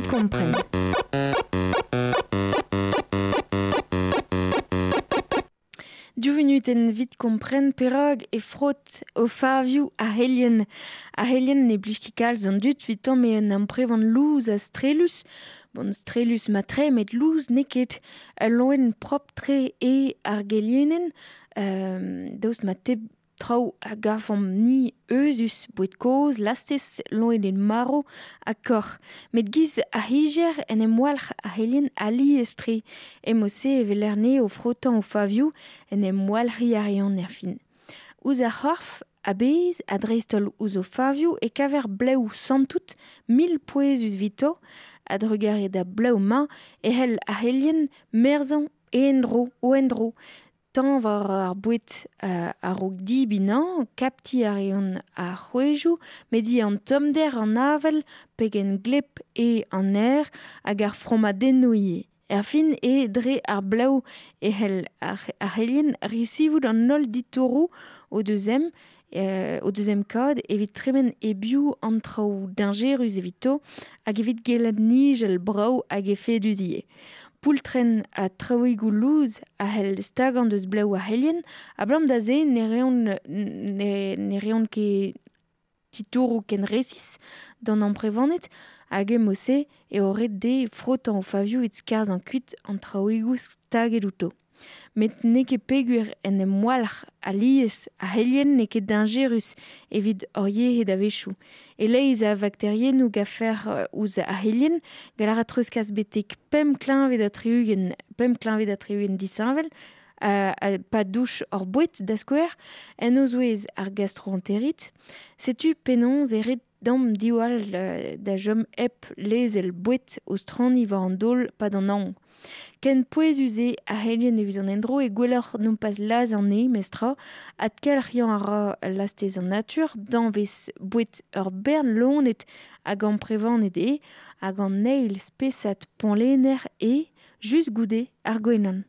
kompren. Div vunutenn 'vit kompren perak e frot o favioù ar helien. Ar helien ne blij ket kalz an dud 'vit tamm eo un amprevan louz ha strellus. Bon, strellus mat-tre met louz n'eo ket. Ul loen propr-tre eo ar gelienenn. Daoust ma teb Traoù a gavomp-ni euzhus, boued kozh, lastez, loened marv ha kaoc'h. Met giz ar c'higer en em walc'h ar c'helien alies-tre. E-mod-se e weler anezhe o frotañ o favioù, en em walc'hiñ a reont erfin. Ouzh ar c'horf a-bezh ha dreist-holl ouzh o favioù e kaver blev santout mil pouezus evito. A-drugarez da blev-mañ e c'hell ar c'helien merzañ en-dro o endro. Tañv war ar boued a-raok dibinañ, kaptiñ a reont ar c'hwezhioù, met ivez an tommder, an avel, pegen gleb eo an aer hag ar fromadennoù ivez. Erfin eo dre ar blev e c'hell ar c'helien resivout an holl ditouroù o deus em o deus em kad evit tremen e-biou an traoù dañjerus evito hag evit gellet nijal brav hag efedus ivez. Poultrenn ha traoùigoù lous a c'hell stagañ deus blev ar c'helien abalamour da se ne reont ne reont ket titouroù ken resis d'an amprevaned hag e-mod-se eo ret dezhe frotañ o favioù evit skarzhañ kuit an traoùigoù staget outo. Met n'eo ket peogwir en em walc'h alies ar c'helien n'eo ket dañjerus evit hor yec'hed a-wechoù. E-leizh a vakteriennoù gafer ouzh ar c'helien gall a ra treuzkas betek pemp kleñved ha tri-ugent pemp kleñved ha tri-ugent disheñvel pa douch hor boued da skouer, en o zouez ar gastroenterit. Setu penaos e ret Dam diwall da chom hep lezel boued o straniñ war an daol 'pad an hañv. Ken pouezus eo ar c'helien evit an endro eo gwelloc'h nompas lazhañ anezhe memestra. Adkelc'hiañ a ra lastez an natur, danvez boued ur bern loened hag amprevaned eo, hag an eil spesad poñlenner eo, just goude ar gwenan.